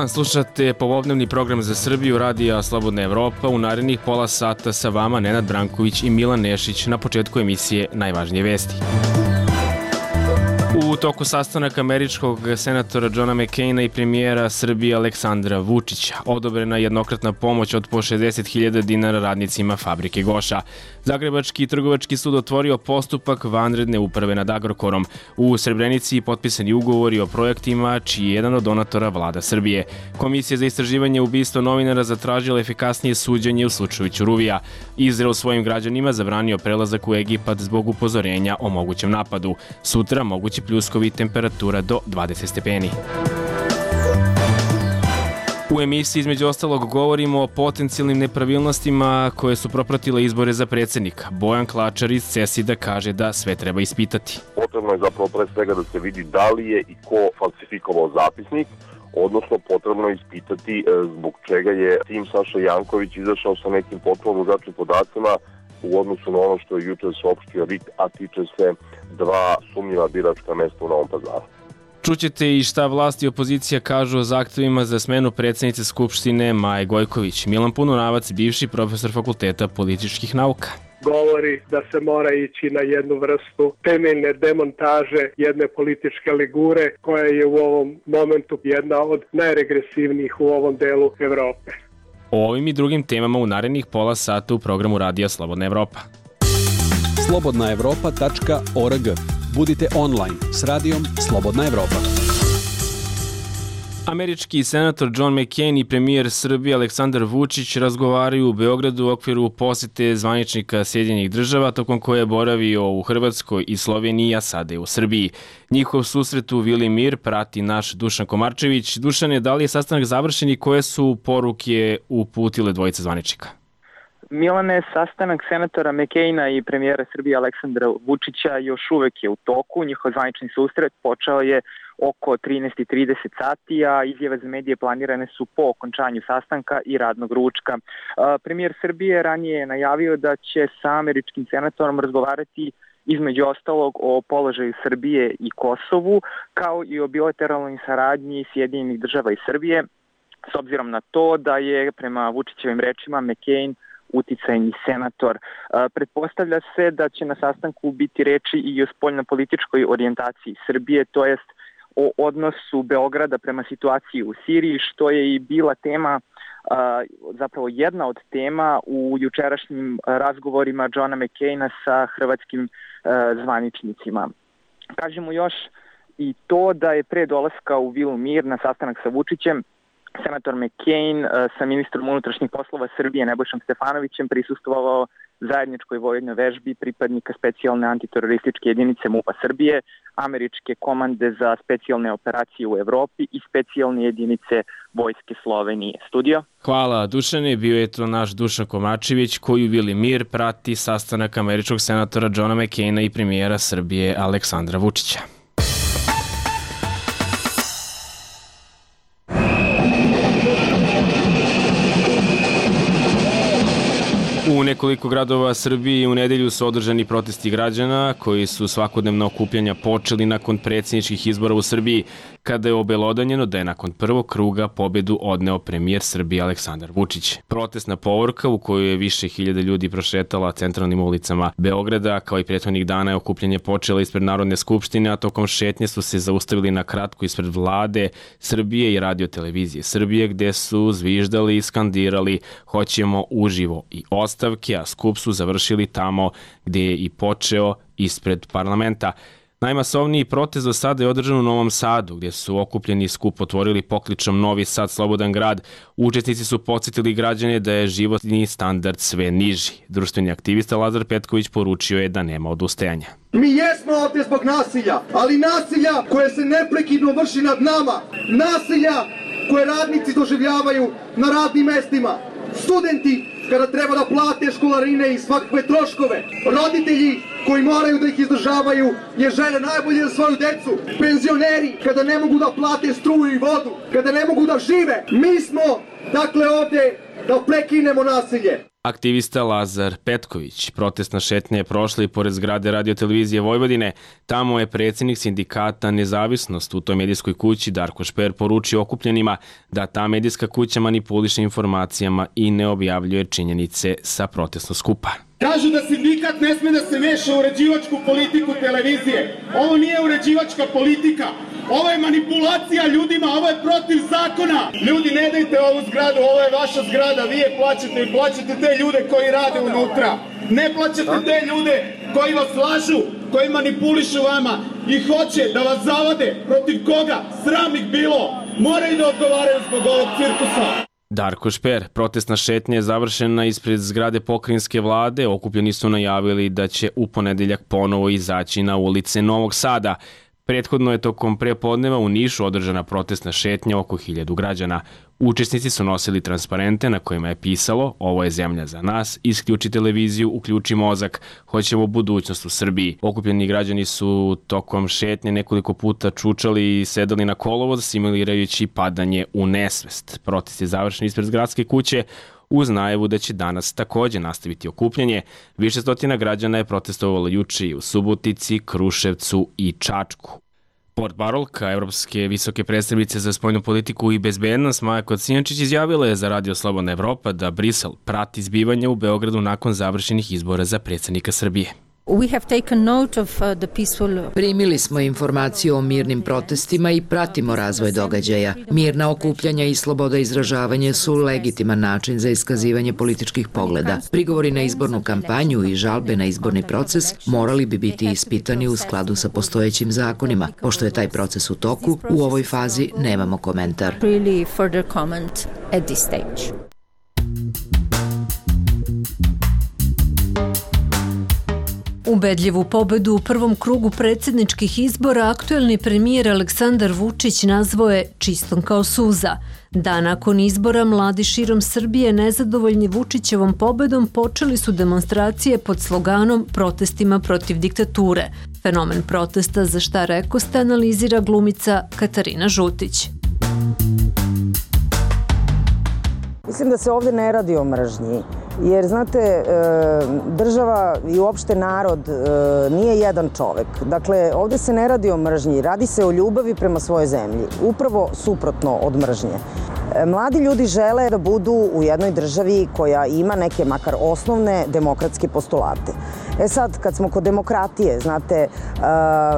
dan, slušate popodnevni program za Srbiju Radija Slobodna Evropa. U narednih pola sata sa vama Nenad Branković i Milan Nešić. Na početku emisije najvažnije vesti. U toku sastanaka američkog senatora Johna McCaina i premijera Srbije Aleksandra Vučića odobrena jednokratna pomoć od po 60.000 dinara radnicima fabrike Goša. Zagrebački trgovački sud otvorio postupak vanredne uprave nad Agrokorom. U Srebrenici potpisani ugovori o projektima čiji je jedan od donatora Vlada Srbije. Komisija za istraživanje ubistva novinara zatražila efikasnije suđenje u slučaju Ćuruvija. Izrael svojim građanima zabranio prelazak u Egipat zbog upozorenja o mogućem napadu. Sutra mogući pljuskovi, temperatura do 20 stepeni. U emisiji između ostalog govorimo o potencijalnim nepravilnostima koje su propratile izbore za predsjednika. Bojan Klačar iz CESID-a kaže da sve treba ispitati. Potrebno je zapravo pre svega da se vidi da li je i ko falsifikovao zapisnik, odnosno potrebno je ispitati zbog čega je tim Saša Janković izašao sa nekim potpuno drugačijim podacima u odnosu na ono što je juče saopštio RIK, a tiče se dva sumnjiva biračka mesta u Novom Pazaru. Čućete i šta vlast i opozicija kažu o zahtevima za smenu predsjednice Skupštine Maje Gojković. Milan Pununavac, bivši profesor Fakulteta političkih nauka. Govori da se mora ići na jednu vrstu temeljne demontaže jedne političke ligure koja je u ovom momentu jedna od najregresivnijih u ovom delu Evrope. O ovim i drugim temama u narednih pola sata u programu Radija Slobodna Evropa. slobodnaevropa.org. Budite online s radijom Slobodna Evropa. Američki senator John McCain i premijer Srbije Aleksandar Vučić razgovaraju u Beogradu u okviru posete zvaničnika Sjedinjenih Država, tokom koje je boravio u Hrvatskoj i Sloveniji, a sada je u Srbiji. Njihov susret u Vili Mir prati naš Dušan Komarčević. Dušane, da li je sastanak završen i koje su poruke uputile dvojice zvaničnika? Milane, sastanak senatora McCaina i premijera Srbije Aleksandra Vučića još uvek je u toku. Njihov zvanični susret počeo je oko 13:30 sati, a izjave za medije planirane su po okončanju sastanka i radnog ručka. Premijer Srbije ranije je najavio da će sa američkim senatorom razgovarati između ostalog o položaju Srbije i Kosovu, kao i o bilateralnoj saradnji Sjedinjenih Država i Srbije, s obzirom na to da je, prema Vučićevim rečima, McCain uticajni senator. Pretpostavlja se da će na sastanku biti reči i o spoljnopolitičkoj orijentaciji Srbije, to jest o odnosu Beograda prema situaciji u Siriji, što je i bila tema, zapravo jedna od tema u jučerašnjim razgovorima Johna McCaina sa hrvatskim zvaničnicima. Kažemo još i to da je pre dolaska u Vilu Mir na sastanak sa Vučićem senator McCain sa ministrom unutrašnjih poslova Srbije Nebojšom Stefanovićem prisustvovao zajedničkoj vojnoj vežbi pripadnika specijalne antiterorističke jedinice MUP-a Srbije, američke komande za specijalne operacije u Evropi i specijalne jedinice vojske Slovenije. Studio? Hvala, Dušane. Bio je to naš Dušan Komačević koji u Vili Mir prati sastanak američkog senatora Johna McCaina i premijera Srbije Aleksandra Vučića. U nekoliko gradova Srbije u nedelju su održani protesti građana koji su svakodnevna okupljanja počeli nakon predsjedničkih izbora u Srbiji, kada je obelodanjeno da je nakon prvog kruga pobedu odneo premijer Srbije Aleksandar Vučić. Protestna povorka u kojoj je više hiljada ljudi prošetala centralnim ulicama Beograda, kao i prethodnih dana je okupljanje počelo ispred Narodne skupštine, a tokom šetnje su se zaustavili na kratko ispred Vlade Srbije i Radio televizije Srbije, gde su zviždali i skandirali "Hoćemo uživo" i ostavke, a skup su završili tamo gde je i počeo, ispred parlamenta. Najmasovniji protest do sada je održan u Novom Sadu, gdje su okupljeni skup otvorili pokličom Novi Sad slobodan grad. Učesnici su podsjetili građane da je životni standard sve niži. Društveni aktivista Lazar Petković poručio je da nema odustajanja. Mi jesmo ovdje zbog nasilja, ali nasilja koje se neprekidno vrši nad nama. Nasilja koje radnici doživljavaju na radnim mestima. Studenti kada treba da plate školarine i svakakve troškove. Roditelji koji moraju da ih izdržavaju jer žele najbolje za svoju decu. Penzioneri kada ne mogu da plate struju i vodu, kada ne mogu da žive. Mi smo, dakle, ovdje da prekinemo nasilje. Aktivista Lazar Petković. Protestna šetnja je prošla i pored zgrade Radio-televizije Vojvodine. Tamo je predsjednik sindikata Nezavisnost u toj medijskoj kući Darko Šper poručio okupljenima da ta medijska kuća manipuliše informacijama i ne objavljuje činjenice sa protestnog skupa. Kažu da sindikat ne sme da se meša u uređivačku politiku televizije. Ovo nije uređivačka politika. Ovo je manipulacija ljudima, ovo je protiv zakona. Ljudi, ne dajte ovu zgradu, ovo je vaša zgrada, vi je plaćate i plaćate te ljude koji rade unutra. Ne plaćate te ljude koji vas lažu, koji manipulišu vama i hoće da vas zavade. Protiv koga? Sram ih bilo. Moraju da odgovaraju zbog ovog cirkusa. Darko Šper, protestna šetnja je završena ispred zgrade pokrajinske vlade. Okupljeni su najavili da će u ponedeljak ponovo izaći na ulice Novog Sada. Prethodno je tokom prepodneva u Nišu održana protestna šetnja oko 1000 građana. Učesnici su nosili transparente na kojima je pisalo "Ovo je zemlja za nas, isključi televiziju, uključi mozak, hoćemo budućnost u Srbiji". Okupljeni građani su tokom šetnje nekoliko puta čučali i sedali na kolovoz, simulirajući padanje u nesvest. Protest je završen ispred gradske kuće uz najavu da će danas takođe nastaviti okupljanje. Više stotina građana je protestovalo juče i u Subotici, Kruševcu i Čačku. Portparolka Evropske visoke predstavnice za spoljnu politiku i bezbednost Maja Kocijančić izjavila je za Radio Slobodna Evropa da Brisel prati zbivanja u Beogradu nakon završenih izbora za predsjednika Srbije. Primili smo informaciju o mirnim protestima i pratimo razvoj događaja. Mirna okupljanja i sloboda izražavanja su legitiman način za iskazivanje političkih pogleda. Prigovori na izbornu kampanju i žalbe na izborni proces morali bi biti ispitani u skladu sa postojećim zakonima. Pošto je taj proces u toku, u ovoj fazi nemamo komentar. Ubedljivu pobedu u prvom krugu predsjedničkih izbora aktuelni premijer Aleksandar Vučić nazvao je čistom kao suza. Dan nakon izbora mladi širom Srbije nezadovoljni Vučićevom pobedom počeli su demonstracije pod sloganom "Protestima protiv diktature". Fenomen protesta, za šta rekoste, analizira glumica Katarina Žutić. Mislim da se ovdje ne radi o mržnji, jer znate, država i uopšte narod nije jedan čovek. Dakle, ovdje se ne radi o mržnji, radi se o ljubavi prema svojoj zemlji, upravo suprotno od mržnje. Mladi ljudi žele da budu u jednoj državi koja ima neke makar osnovne demokratske postulate. Sad, kad smo kod demokratije, znate,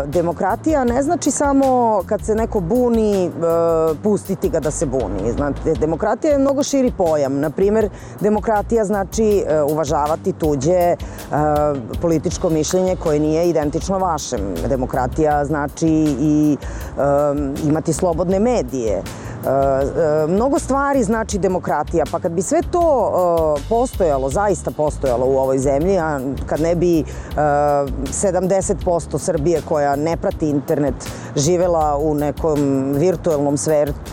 demokratija ne znači samo kad se neko buni, pustiti ga da se buni. Znate, demokratija je mnogo širi pojam. Naprimjer, demokratija znači uvažavati tuđe političko mišljenje koje nije identično vašem. Demokratija znači i imati slobodne medije. Mnogo stvari znači demokratija, pa kad bi sve to postojalo, zaista postojalo u ovoj zemlji, a kad ne bi 70% Srbije koja ne prati internet živela u nekom virtualnom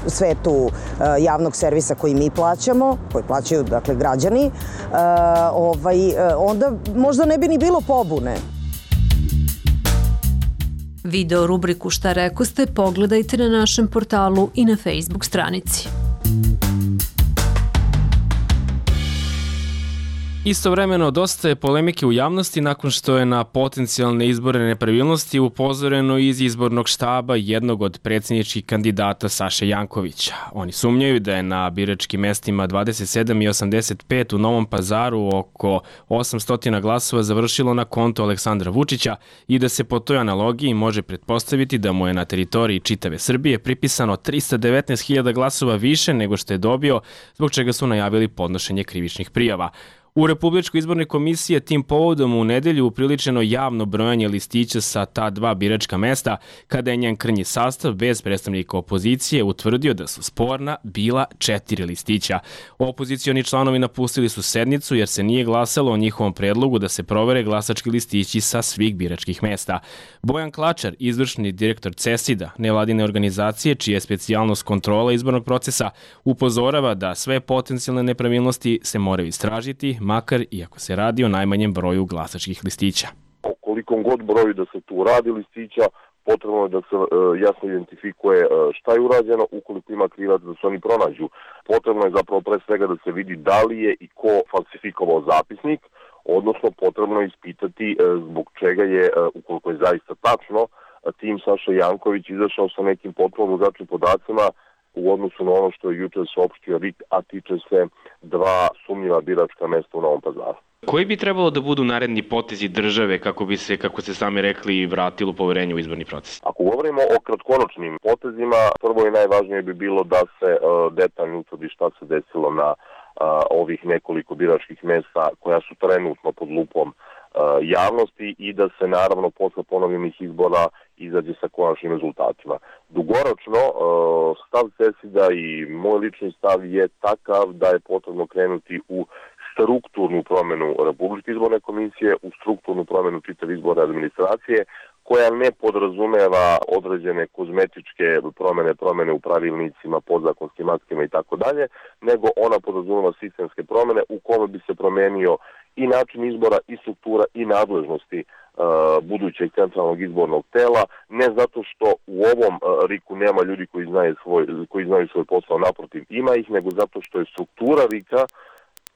svetu javnog servisa koji mi plaćamo, koji plaćaju dakle građani, onda možda ne bi ni bilo pobune. Video rubriku "Šta rekoste" pogledajte na našem portalu i na Facebook stranici. Istovremeno, dosta je polemike u javnosti nakon što je na potencijalne izbore nepravilnosti upozoreno iz izbornog štaba jednog od predsjedničkih kandidata Saše Jankovića. Oni sumnjaju da je na biračkim mestima 27 i 85 u Novom Pazaru oko 800 glasova završilo na konto Aleksandra Vučića i da se po toj analogiji može pretpostaviti da mu je na teritoriji čitave Srbije pripisano 319.000 glasova više nego što je dobio, zbog čega su najavili podnošenje krivičnih prijava. U Republičkoj izbornoj komisiji je tim povodom u nedelju upriličeno javno brojanje listića sa ta dva biračka mesta, kada je njen krnji sastav bez predstavnika opozicije utvrdio da su sporna bila 4 listića. Opozicioni članovi napustili su sednicu jer se nije glasalo o njihovom predlogu da se provere glasački listići sa svih biračkih mesta. Bojan Klačar, izvršni direktor CESID-a, nevladine organizacije čija je specijalnost kontrola izbornog procesa, upozorava da sve potencijalne nepravilnosti se moraju istražiti, makar iako se radi o najmanjem broju glasačkih listića. O kolikom god broju da se tu radi listića, potrebno je da se jasno identifikuje šta je urađeno, ukoliko ima krivac da se oni pronađu. Potrebno je zapravo pre svega da se vidi da li je i ko falsifikovao zapisnik, odnosno potrebno je ispitati zbog čega je, ukoliko je zaista tačno, tim Saša Janković izašao sa nekim potpuno drugačijim podacima u odnosu na ono što je juče saopštio RIK, a tiče se 2 sumnjiva biračka mesta u Novom Pazaru. Koji bi trebalo da budu naredni potezi države kako bi se, kako ste sami rekli, vratilo poverenje u izborni proces? Ako govorimo o kratkoročnim potezima, prvo i najvažnije bi bilo da se detaljno utvrdi šta se desilo na ovih nekoliko biračkih mesta koja su trenutno pod lupom javnosti i da se naravno posle ponovljenih izbora izađe sa konačnim rezultatima. Dugoročno, stav CESID-a i moj lični stav je takav da je potrebno krenuti u strukturnu promenu Republičke izborne komisije, u strukturnu promenu čitave izborne administracije, koja ne podrazumeva određene kozmetičke promene u pravilnicima, podzakonskim aktima i tako dalje, nego ona podrazumeva sistemske promene u kome bi se promenio i način izbora, i struktura, i nadležnosti budućeg centralnog izbornog tela, ne zato što u ovom RIK-u nema ljudi koji znaju svoj posao, naprotiv ima ih, nego zato što je struktura RIK-a,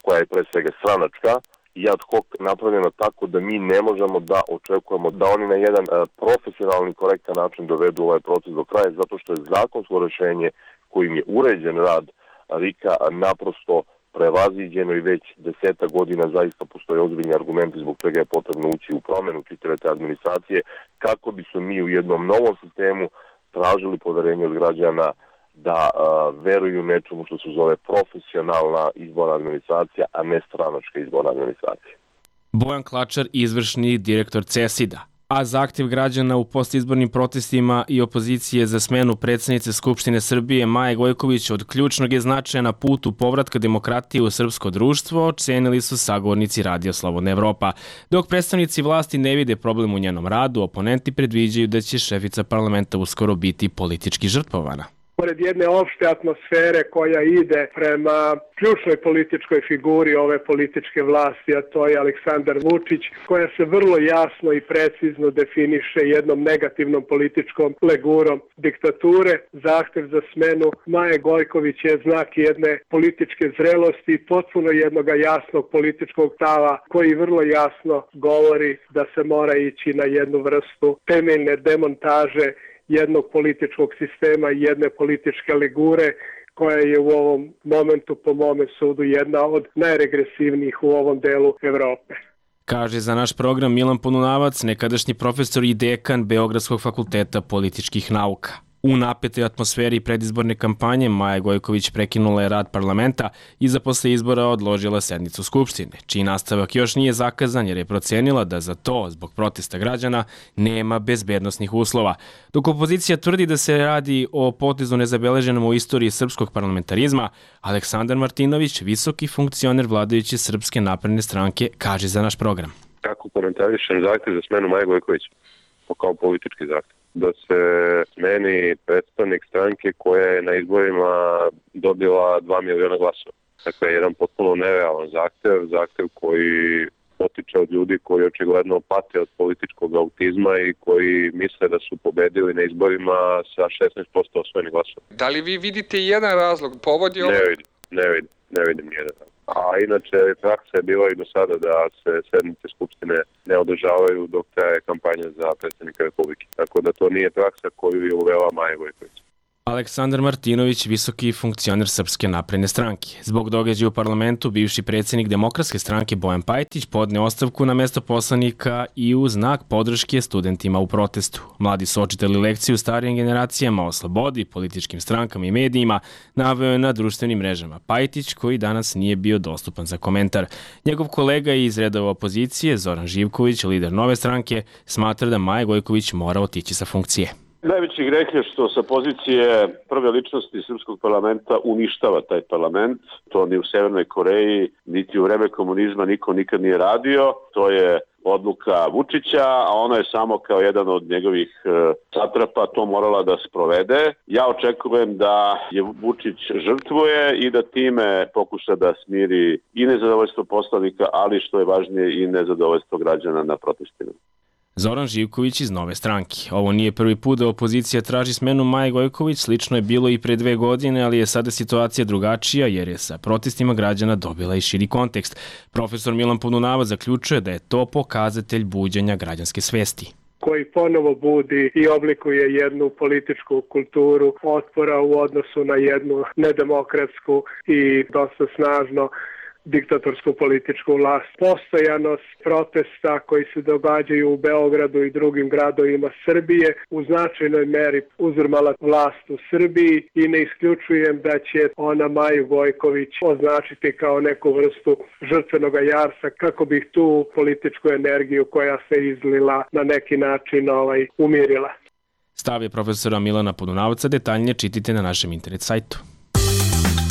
koja je pre svega stranačka i ad hoc napravljena tako da mi ne možemo da očekujemo da oni na jedan profesionalni, korektan način dovedu ovaj proces do kraja, zato što je zakonsko rešenje kojim je uređen rad RIK-a naprosto prevaziđeno i već 10 godina zaista postoje ozbiljni argumenti zbog čega je potrebno ući u promenu čitave te administracije, kako bi su mi u jednom novom sistemu tražili poverenje od građana da veruju nečemu što se zove profesionalna izborna administracija, a ne stranačka izborna administracija. Bojan Klačar, izvršni direktor CESID-a. A zahtev građana u postizbornim protestima i opozicije za smenu predsjednice Skupštine Srbije Maje Gojković od ključnog je značaja na putu povratka demokratije u srpsko društvo, ocenili su sagovornici Radio Slobodna Evropa. Dok predstavnici vlasti ne vide problem u njenom radu, oponenti predviđaju da će šefica parlamenta uskoro biti politički žrtvovana. Pored jedne opšte atmosfere koja ide prema ključnoj političkoj figuri ove političke vlasti, a to je Aleksandar Vučić, koja se vrlo jasno i precizno definiše jednom negativnom političkom legurom diktature. Zahtev za smenu Maje Gojković je znak jedne političke zrelosti i potpuno jednog jasnog političkog stava koji vrlo jasno govori da se mora ići na jednu vrstu temeljne demontaže jednog političkog sistema i jedne političke legure koja je u ovom momentu, po mome sudu, jedna od najregresivnijih u ovom delu Evrope. Kaže za naš program Milan Polunavac, nekadašnji profesor i dekan Beogradskog fakulteta političkih nauka. U napetoj atmosferi predizborne kampanje Maja Gojković prekinula je rad parlamenta i za posle izbora odložila sednicu Skupštine, čiji nastavak još nije zakazan jer je procenila da za to, zbog protesta građana, nema bezbednosnih uslova. Dok opozicija tvrdi da se radi o potezu nezabeleženom u istoriji srpskog parlamentarizma, Aleksandar Martinović, visoki funkcioner vladajuće Srpske napredne stranke, kaže za naš program. Kako komentarišem zahtev za smenu Maje Gojković? Kao politički zahtev. Da se smeni predstavnik stranke koja je na izborima dobila 2 miliona glasova. Dakle, jedan potpuno nerealan zahtev koji potiče od ljudi koji očigledno pate od političkog autizma i koji misle da su pobedili na izborima sa 16% osvojenih glasova. Da li vi vidite jedan razlog, povod je ovo? Ne vidim nijedan razlog. A inače, praksa je bila i do sada da se sednice Skupštine ne održavaju dok traje kampanja za predsjednika Republike. Tako da to nije praksa koju je uvela Maja Gojković. Aleksandar Martinović, visoki funkcioner Srpske napredne stranke. Zbog događaja u parlamentu, bivši predsjednik Demokratske stranke Bojan Pajtić podneo ostavku na mesto poslanika i u znak podrške studentima u protestu. Mladi su očitali lekciju starijim generacijama o slobodi, političkim strankama i medijima, naveo je na društvenim mrežama. Pajtić, koji danas nije bio dostupan za komentar. Njegov kolega iz redova opozicije, Zoran Živković, lider Nove stranke, smatra da Maja Gojković mora otići sa funkcije. Najveći greh je što sa pozicije prve ličnosti srpskog parlamenta uništava taj parlament. To ni u Severnoj Koreji, niti u vreme komunizma niko nikad nije radio. To je odluka Vučića, a ona je samo kao jedan od njegovih satrapa to morala da sprovede. Ja očekujem da je Vučić žrtvuje i da time pokuša da smiri i nezadovoljstvo poslanika, ali što je važnije i nezadovoljstvo građana na protestima. Zoran Živković iz Nove stranke. Ovo nije prvi put da opozicija traži smenu Maje Gojković, slično je bilo i pre 2 godine, ali je sada situacija drugačija jer je sa protestima građana dobila i širi kontekst. Profesor Milan Podunavac zaključuje da je to pokazatelj buđenja građanske svesti, koji ponovo budi i oblikuje jednu političku kulturu otpora u odnosu na jednu nedemokratsku i dosta snažno diktatorsku političku vlast. Postojanost protesta koji se događaju u Beogradu i drugim gradovima Srbije u značajnoj meri uzurmala vlast u Srbiji i ne isključujem da će ona Maju Gojković označiti kao neku vrstu žrtvenog jarsa kako bi tu političku energiju koja se izlila na neki način umirila. Stav je profesora Milana Podunavca, detaljnije čitite na našem internet sajtu.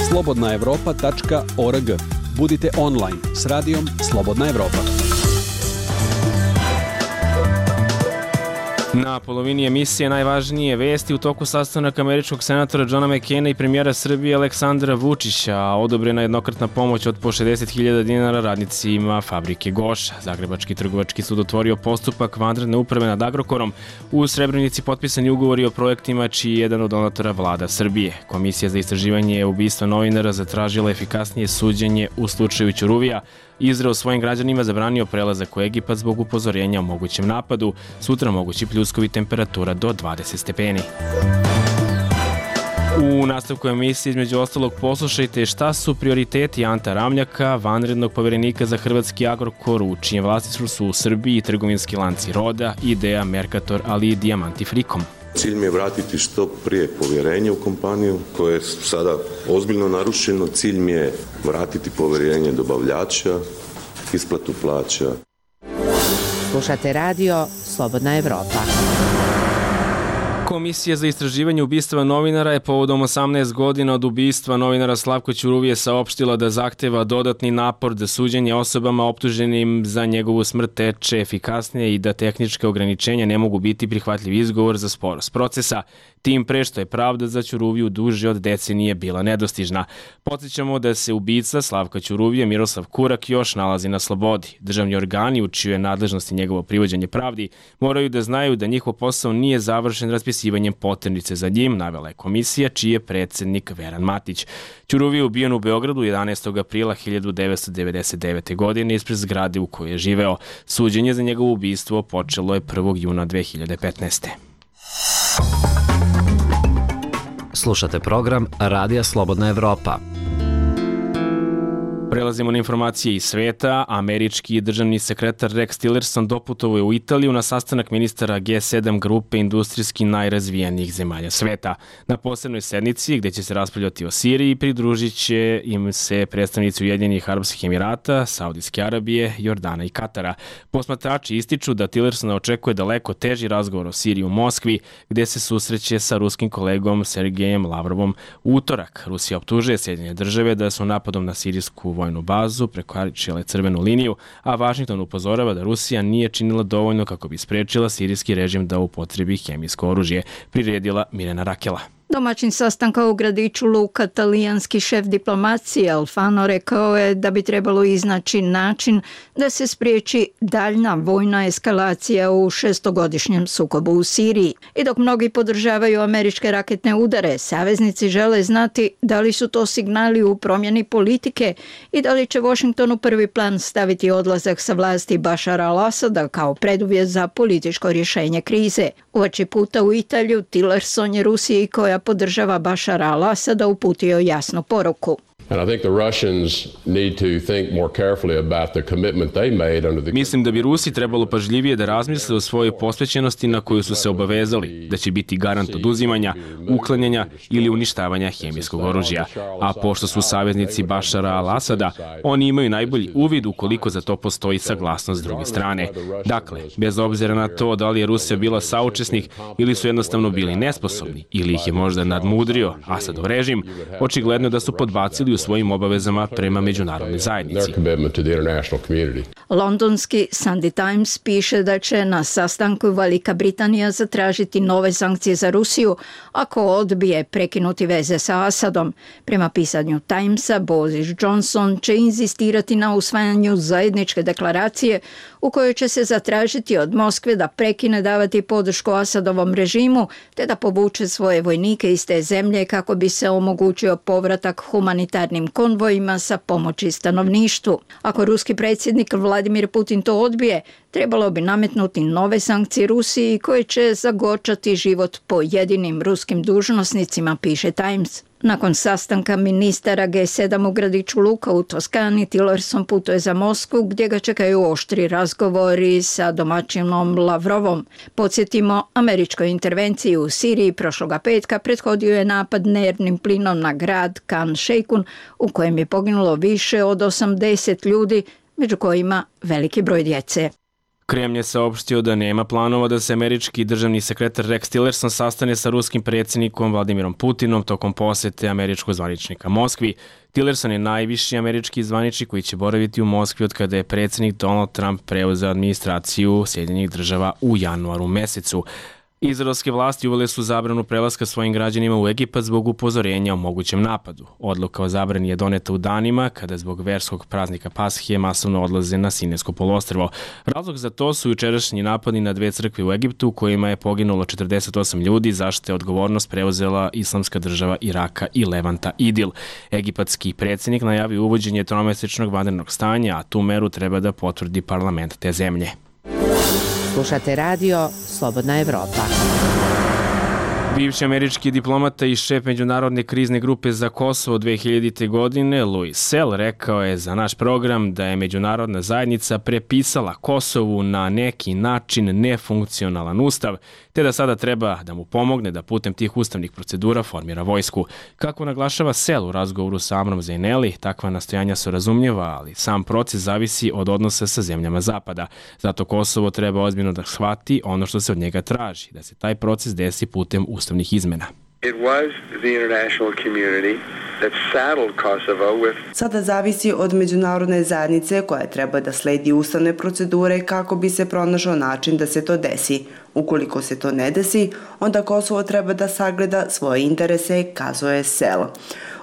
slobodnaevropa.org. Budite online s radijom Slobodna Evropa. Na polovini emisije najvažnije vesti u toku sastanak američkog senatora Johna McCaina i premijera Srbije Aleksandra Vučića, odobrena jednokratna pomoć od po 60.000 dinara radnicima fabrike Goša. Zagrebački trgovački sud otvorio postupak vanredne uprave nad Agrokorom. U Srebrenici potpisani ugovori o projektima čiji je jedan od donatora vlada Srbije. Komisija za istraživanje ubistva novinara zatražila efikasnije suđenje u slučaju Ćuruvija. Izrael svojim građanima zabranio prelazak u Egipat zbog upozorenja o mogućem napadu. Sutra mogući pljuskovi, temperatura do 20 stepeni. U nastavku emisije između ostalog poslušajte šta su prioriteti Anta Ramljaka, vanrednog poverenika za hrvatski Agrokor, u čijem vlasništvu su u Srbiji trgovinski lanci Roda, Idea, Mercator, ali i Diamanti Frikom. Cilj mi je vratiti što prije povjerenje u kompaniju koje je sada ozbiljno narušeno. Cilj mi je vratiti povjerenje dobavljača, isplatu plaća. Slušate radio Slobodna Evropa. Komisija za istraživanje ubistva novinara je povodom 18 godina od ubistva novinara Slavka Ćuruvije saopštila da zahteva dodatni napor da suđenje osobama optuženim za njegovu smrt teče efikasnije i da tehničke ograničenja ne mogu biti prihvatljiv izgovor za sporost procesa, tim pre što je pravda za Ćuruviju duže od decenije bila nedostižna. Podsjećamo da se ubica Slavka Ćuruvije Miroslav Kurak još nalazi na slobodi. Državni organi u čijoj je nadležnosti njegovo privođenje pravdi moraju da znaju da njihov posao nije završen raspisivanjem poternice za njim, navela je komisija čiji je predsednik Veran Matić. Ćuruvije je ubijen u Beogradu 11. aprila 1999. godine ispred zgrade u kojoj je živeo. Suđenje za njegovo ubistvo počelo je 1. juna 2015. Slušate program Radija Slobodna Evropa. Prelazimo na informacije iz sveta. Američki državni sekretar Rex Tillerson doputovao je u Italiju na sastanak ministara G7 grupe industrijski najrazvijenijih zemalja sveta. Na posebnoj sednici, gde će se raspravljati o Siriji, pridružit će im se predstavnici Ujedinjenih Arapskih Emirata, Saudijske Arabije, Jordana i Katara. Posmatrači ističu da Tillersona očekuje daleko teži razgovor o Siriji u Moskvi, gde se susreće sa ruskim kolegom Sergejem Lavrovom u utorak. Rusija optužuje Sjedinjene države da su napadom na sirijsku vojnu bazu prekoračile crvenu liniju, a Vašington upozorava da Rusija nije činila dovoljno kako bi sprečila sirijski režim da upotrebi hemijsko oružje, priredila Mirjana Rakela. Domaćin sastanka u gradiću Luka, talijanski šef diplomacije Alfano rekao je da bi trebalo iznaći način da se spriječi daljna vojna eskalacija u 6-godišnjem sukobu u Siriji. I dok mnogi podržavaju američke raketne udare, saveznici žele znati da li su to signali u promjeni politike i da li će Washington u prvi plan staviti odlazak sa vlasti Bašara al-Asada kao preduvjet za političko rješenje krize. Uoči puta u Italiju, Tillerson je Rusiji koja podržava Bašara al-Asada uputio jasnu poruku. Mislim da bi Rusi trebalo pažljivije da razmisle o svojoj posvećenosti na koju su se obavezali, da će biti garant oduzimanja, uklanjanja ili uništavanja hemijskog oružja. A pošto su saveznici Bašara al-Asada, oni imaju najbolji uvid ukoliko za to postoji saglasnost s druge strane. Dakle, bez obzira na to da li je Rusija bila saučesnik ili su jednostavno bili nesposobni ili ih je možda nadmudrio Asadov režim, očigledno da su podbacili u svojim obavezama prema međunarodnoj zajednici. Londonski Sunday Times piše da će na sastanku Velika Britanija zatražiti nove sankcije za Rusiju ako odbije prekinuti veze sa Asadom. Prema pisanju Timesa, Boris Johnson će inzistirati na usvajanju zajedničke deklaracije u kojoj će se zatražiti od Moskve da prekine davati podršku Asadovom režimu te da povuče svoje vojnike iz te zemlje kako bi se omogućio povratak humanitarnim konvojima sa pomoći stanovništvu. Ako ruski predsjednik Vladimir Putin to odbije, trebalo bi nametnuti nove sankcije Rusiji koje će zagorčati život pojedinim ruskim dužnosnicima, piše Times. Nakon sastanka ministara G7 u gradiću Luka u Toskani, Tillerson putuje za Moskvu gdje ga čekaju oštri razgovori sa domaćinom Lavrovom. Podsjetimo, američkoj intervenciji u Siriji prošloga petka prethodio je napad nervnim plinom na grad Khan Sheikhoun u kojem je poginulo više od 80 ljudi, među kojima veliki broj djece. Kremlj je saopštio da nema planova da se američki državni sekretar Rex Tillerson sastane sa ruskim predsjednikom Vladimirom Putinom tokom posete američkog zvaničnika Moskvi. Tillerson je najviši američki zvaničnik koji će boraviti u Moskvi od kada je predsjednik Donald Trump preuzeo administraciju Sjedinjenih Država u januaru mesecu. Izraelske vlasti uvele su zabranu prelaska svojim građanima u Egipat zbog upozorenja o mogućem napadu. Odluka o zabrani je doneta u danima kada zbog verskog praznika Pashe masovno odlaze na Sinajsko poluostrvo. Razlog za to su jučerašnji napadi na dve crkve u Egiptu kojima je poginulo 48 ljudi, za što je odgovornost preuzela Islamska država Iraka i Levanta Idil. Egipatski predsjednik najavio uvođenje tromesečnog vanrednog stanja, a tu meru treba da potvrdi parlament te zemlje. Slušate radio Slobodna Evropa. Bivši američki diplomata i šef Međunarodne krizne grupe za Kosovo 2000. godine, Louis Sell, rekao je za naš program da je međunarodna zajednica prepisala Kosovu na neki način nefunkcionalan ustav, te da sada treba da mu pomogne da putem tih ustavnih procedura formira vojsku. Kako naglašava Sell u razgovoru sa Amrom Zaineli, takva nastojanja su razumljiva, ali sam proces zavisi od odnosa sa zemljama Zapada. Zato Kosovo treba ozbiljno da shvati ono što se od njega traži, da se taj proces desi putem ustavnih izmena. Sada zavisi od međunarodne zajednice koja treba da sledi ustavne procedure kako bi se pronašao način da se to desi. Ukoliko se to ne desi, onda Kosovo treba da sagleda svoje interese, kazuje Sell.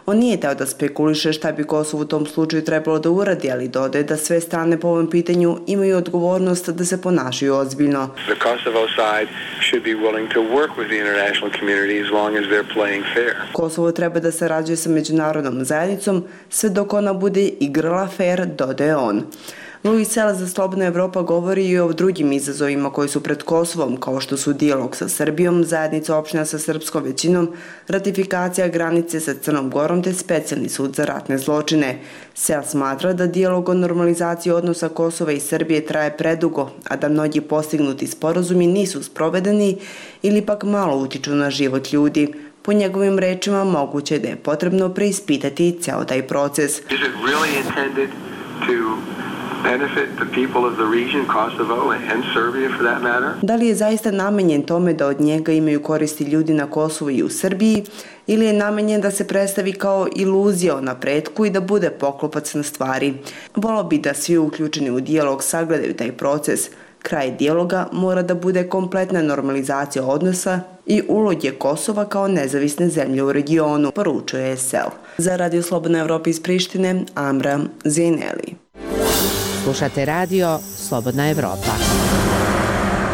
On nije teo da spekuliše šta bi Kosovo u tom slučaju trebalo da uradi, ali dodaje da sve strane po ovom pitanju imaju odgovornost da se ponašaju ozbiljno. Kosovo treba da sarađuje sa međunarodnom zajednicom sve dok ona bude igrala fair, dodaje on. Louis Sell za Slobodna Evropa govori i o drugim izazovima koji su pred Kosovom, kao što su dijalog sa Srbijom, zajednica opština sa srpskom većinom, ratifikacija granice sa Crnom Gorom te specijalni sud za ratne zločine. Sell smatra da dijalog o normalizaciji odnosa Kosova i Srbije traje predugo, a da mnogi postignuti sporazumi nisu sprovedeni ili pak malo utiču na život ljudi. Po njegovim rečima, moguće da je potrebno preispitati ceo taj proces. Da li je zaista namenjen tome da od njega imaju koristi ljudi na Kosovu i u Srbiji, ili je namenjen da se predstavi kao iluzija o napretku i da bude poklopac na stvari? Volao bi da svi uključeni u dijalog sagledaju taj proces. Kraj dijaloga mora da bude kompletna normalizacija odnosa i uloge Kosova kao nezavisne zemlje u regionu, poručuje Sell. Za Radio Slobodna Evropa iz Prištine, Amra Zaineli. Slušate radio Slobodna Evropa.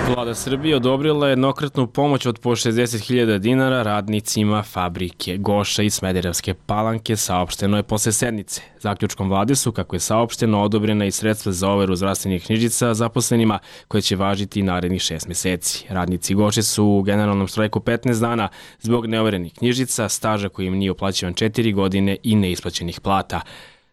Vlada Srbije odobrila jednokratnu pomoć od po 60.000 dinara radnicima fabrike Goša iz Smederevske Palanke, saopšteno je posle sednice. Zaključkom vlade su, kako je saopšteno, odobrena i sredstva za overu zdravstvenih knjižica zaposlenima koje će važiti narednih 6 meseci. Radnici Goše su u generalnom štrajku 15 dana zbog neoverenih knjižica, staža koji im nije uplaćivan 4 godine i neisplaćenih plata.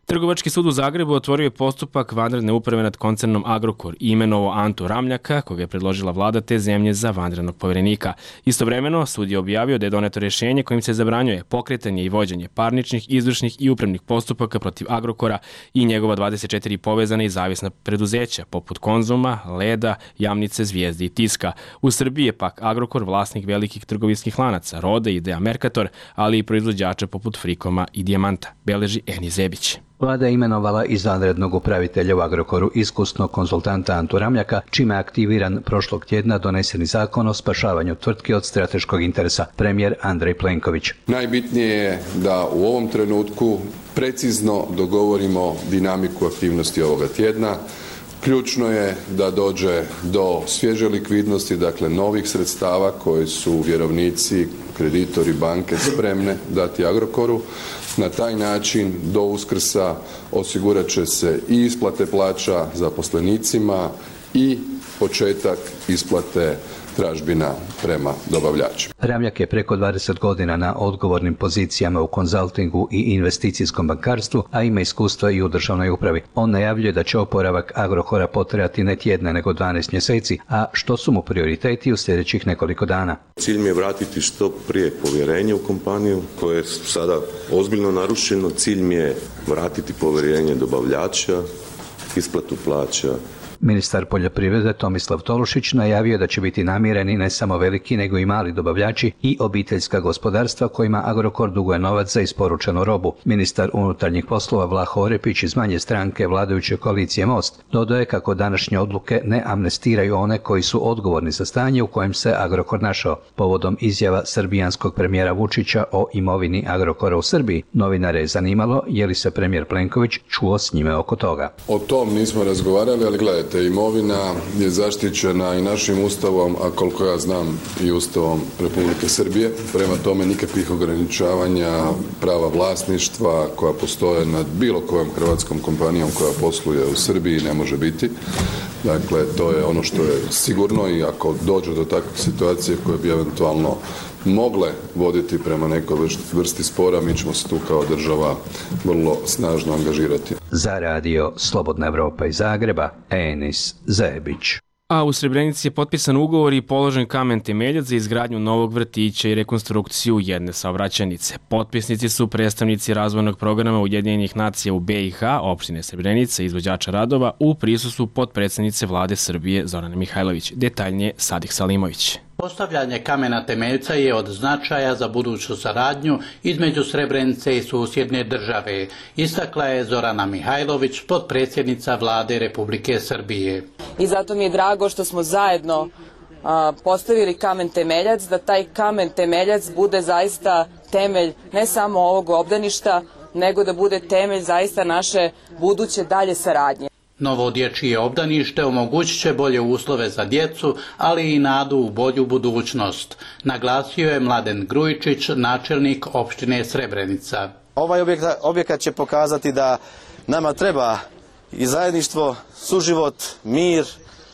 Trgovački sud u Zagrebu otvorio je postupak vanredne uprave nad koncernom Agrokor i imenovao Antu Ramljaka, koga je predložila vlada te zemlje za vanrednog poverenika. Istovremeno, sud je objavio da je doneto rješenje kojim se zabranjuje pokretanje i vođenje parničnih, izvršnih i upravnih postupaka protiv Agrokora i njegova 24 povezana i zavisna preduzeća, poput Konzuma, Leda, Jamnice, Zvijezde i Tiska. U Srbiji je pak Agrokor vlasnik velikih trgovinskih lanaca, Rode i Idea Mercator, ali i proizvođača poput Frikoma i Dijamanta, beleži Eni Zebić. Vlada je imenovala izvanrednog upravitelja u Agrokoru iskusnog konzultanta Antu Ramljaka, čime je aktiviran prošlog tjedna doneseni zakon o spašavanju tvrtki od strateškog interesa, premijer Andrej Plenković. Najbitnije je da u ovom trenutku precizno dogovorimo dinamiku aktivnosti ovoga tjedna. Ključno je da dođe do svježe likvidnosti, dakle novih sredstava koje su vjerovnici, kreditori, banke spremne dati Agrokoru. Na taj način do Uskrsa osigurat će se i isplate plaća zaposlenicima i početak isplate tražbina prema dobavljačima. Ramljak je preko 20 godina na odgovornim pozicijama u konzultingu i investicijskom bankarstvu, a ima iskustva i u državnoj upravi. On najavljuje da će oporavak Agrokora potrajati ne tjedna nego 12 mjeseci, a što su mu prioriteti u sljedećih nekoliko dana. Cilj mi je vratiti što prije povjerenje u kompaniju koje je sada ozbiljno narušeno. Cilj mi je vratiti povjerenje dobavljača, isplatu plaća. Ministar poljoprivrede Tomislav Tolušić najavio da će biti namireni ne samo veliki nego i mali dobavljači i obiteljska gospodarstva kojima Agrokor duguje novac za isporučenu robu. Ministar unutarnjih poslova Vlaho Orepić iz manje stranke vladajuće koalicije Most dodaje kako današnje odluke ne amnestiraju one koji su odgovorni za stanje u kojem se Agrokor našao. Povodom izjava srbijanskog premijera Vučića o imovini Agrokora u Srbiji, novinare je zanimalo je li se premijer Plenković čuo s njime oko toga. O tom nismo razgovarali, ali gledajte, imovina je zaštićena i našim ustavom, a koliko ja znam i ustavom Republike Srbije. Prema tome nikakvih ograničavanja prava vlasništva koja postoje nad bilo kojom hrvatskom kompanijom koja posluje u Srbiji ne može biti. Dakle, to je ono što je sigurno i ako dođe do takve situacije koje bi eventualno mogle voditi prema nekoj vrsti spora, mi ćemo se tu kao država vrlo snažno angažirati. Za radio Slobodna Evropa iz Zagreba, Enis Zebić. A u Srebrenici je potpisan ugovor i položen kamen temeljac za izgradnju novog vrtića i rekonstrukciju jedne saobraćajnice. Potpisnici su predstavnici razvojnog programa Ujedinjenih nacija u BiH, opštine Srebrenica i izvođača radova u prisustvu potpredsednice vlade Srbije Zorane Mihajlović. Detaljnije Sadih Salimović. Postavljanje kamena temeljca je od značaja za buduću saradnju između Srebrenice i susjedne države, istakla je Zorana Mihajlović, potpredsjednica vlade Republike Srbije. I zato mi je drago što smo zajedno postavili kamen temeljac, da taj kamen temeljac bude zaista temelj ne samo ovog obdaništa, nego da bude temelj zaista naše buduće dalje saradnje. Novo dječje obdanište omogućit će bolje uslove za djecu, ali i nadu u bolju budućnost, naglasio je Mladen Grujičić, načelnik opštine Srebrenica. Ovaj objekat će pokazati da nama treba i zajedništvo, suživot, mir,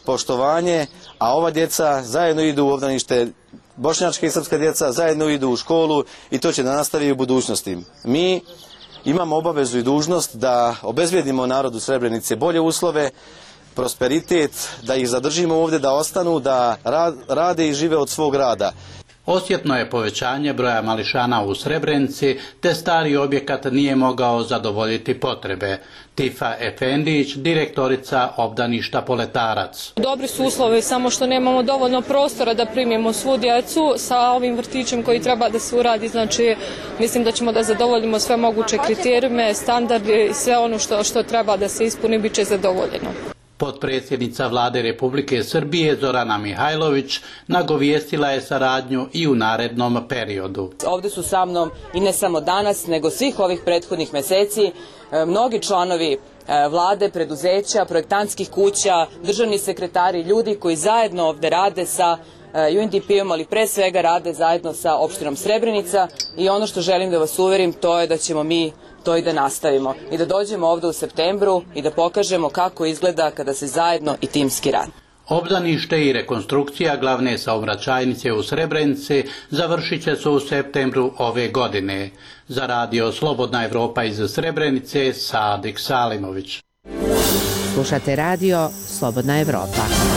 poštovanje, a ova djeca zajedno idu u obdanište, bošnjačka i srpska djeca zajedno idu u školu i to će da nastavi u budućnosti. Mi imamo obavezu i dužnost da obezbijedimo narodu Srebrenice bolje uslove, prosperitet, da ih zadržimo ovdje, da ostanu, da rade i žive od svog rada. Osjetno je povećanje broja mališana u Srebrenici, te stari objekat nije mogao zadovoljiti potrebe. Tifa Efendić, direktorica obdaništa Poletarac. Dobri su uslovi, samo što nemamo dovoljno prostora da primimo svu djecu. Sa ovim vrtićem koji treba da se uradi, znači mislim da ćemo da zadovoljimo sve moguće kriterijume, standarde i sve ono što treba da se ispuni, bit će zadovoljeno. Potpredsjednica vlade Republike Srbije Zorana Mihajlović nagovijestila je saradnju i u narednom periodu. Ovdje su sa mnom i ne samo danas, nego svih ovih prethodnih meseci mnogi članovi vlade, preduzeća, projektantskih kuća, državni sekretari, ljudi koji zajedno ovdje rade sa UNDP-om, ali pre svega rade zajedno sa opštinom Srebrenica i ono što želim da vas uverim to je da ćemo mi to i da nastavimo i da dođemo ovdje u septembru i da pokažemo kako izgleda kada se zajedno i timski radi. Obdanište i rekonstrukcija glavne saobraćajnice u Srebrenici završit će se u septembru ove godine. Za radio Slobodna Evropa iz Srebrenice, Sadik Salimović. Slušate radio Slobodna Evropa.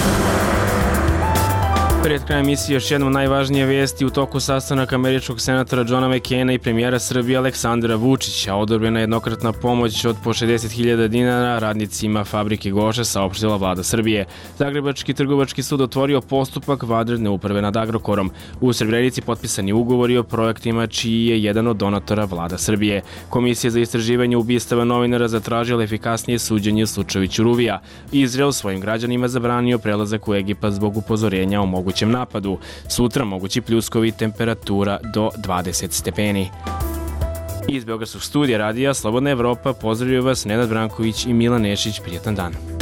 Pred krajem emisije još jednom najvažnije vesti. U toku sastanaka američkog senatora Johna McCaina i premijera Srbije Aleksandra Vučića odobrena jednokratna pomoć od po 60.000 dinara radnicima fabrike Goša, saopštila vlada Srbije. Zagrebački trgovački sud otvorio postupak vanredne uprave nad Agrokorom. U Srebrenici potpisani ugovori o projektima čiji je jedan od donatora vlada Srbije. Komisija za istraživanje ubistava novinara zatražila efikasnije suđenje u slučaju Ćuruvija. Izrael svojim građanima zabranio prelazak u Egipat zbog upozorenja o mogućem napadu. Sutra mogući pljuskovi, temperatura do 20 stepeni. Iz Beogradskog studija radija Slobodna Evropa pozdravljaju vas Nenad Branković i Milan Nešić. Prijetan dan.